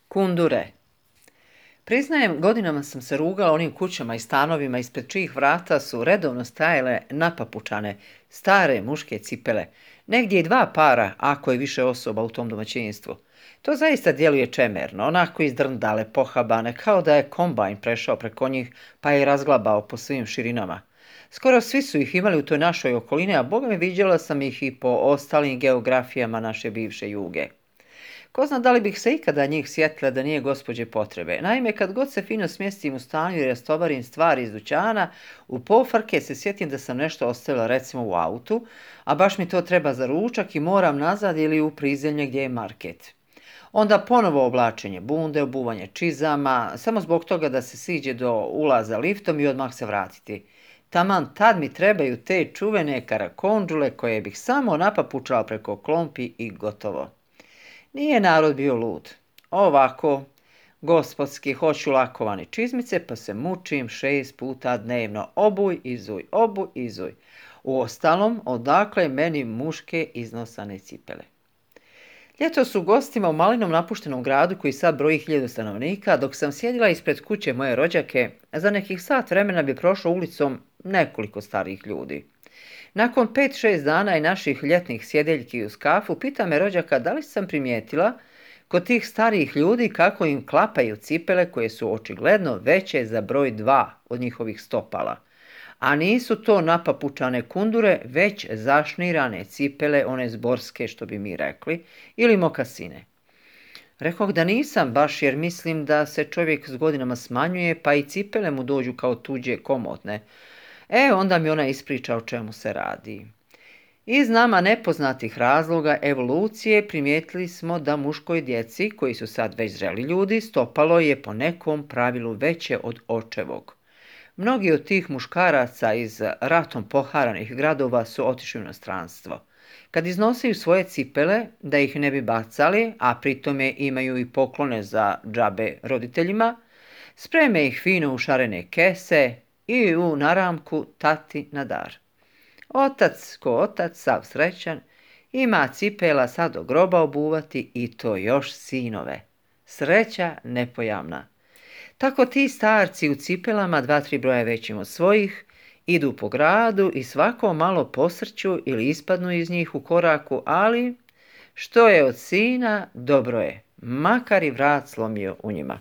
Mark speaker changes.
Speaker 1: Kundure. Priznajem, godinama sam se rugala onim kućama i stanovima ispred čijih vrata su redovno stajale napapučane, stare muške cipele. Negdje i 2 para, ako je više osoba u tom domaćinstvu. To zaista djeluje čemerno, onako izdrndale, pohabane, kao da je kombajn prešao preko njih pa je razglabao po svim širinama. Skoro svi su ih imali u toj našoj okolini, a boga mi viđala sam ih i po ostalim geografijama naše bivše Juge. Ko zna da li bih se ikada njih sjetila da nije gospođe potrebe. Naime, kad god se fino smjestim u stanju i rastovarim stvari iz dućana, u pofarke se sjetim da sam nešto ostavila recimo u autu, a baš mi to treba za ručak i moram nazad ili u prizemlje gdje je market. Onda ponovo oblačenje bunde, obuvanje čizama, samo zbog toga da se siđe do ulaza liftom i odmah se vratiti. Taman tad mi trebaju te čuvene karakondžule koje bih samo napapučala preko klompi i gotovo. Nije narod bio lud. Ovako, gospodski, hoću lakovane čizmice, pa se mučim 6 puta dnevno. Obuj, izuj, obuj, izuj. Uostalom, odakle meni muške iznosane cipele. Ljetos u gostima u malinom napuštenom gradu koji sad broji 1000 stanovnika, dok sam sjedila ispred kuće moje rođake, za nekih sat vremena bi prošlo ulicom nekoliko starih ljudi. Nakon 5-6 dana i naših ljetnih sjedeljki uz kafu, pita me rođaka da li sam primijetila kod tih starijih ljudi kako im klapaju cipele koje su očigledno veće za broj 2 od njihovih stopala. A nisu to napapučane kundure, već zašnirane cipele, one zborske što bi mi rekli, ili mokasine. Rekoh da nisam baš jer mislim da se čovjek s godinama smanjuje pa i cipele mu dođu kao tuđe komotne. Onda mi ona ispriča o čemu se radi. Iz nama nepoznatih razloga evolucije primijetili smo da muškoj djeci, koji su sad već zreli ljudi, stopalo je po nekom pravilu veće od očevog. Mnogi od tih muškaraca iz ratom poharanih gradova su otišli u inostranstvo. Kad iznosiju svoje cipele, da ih ne bi bacali, a pritome imaju i poklone za džabe roditeljima, spreme ih fino u šarene kese i u naramku tati na dar. Otac, ko otac, sav srećan, ima cipela sad do groba obuvati i to još sinove. Sreća nepojamna. Tako ti starci u cipelama 2-3 broja većim od svojih idu po gradu i svako malo posrću ili ispadnu iz njih u koraku, ali što je od sina, dobro je, makar i vrat slomio u njima.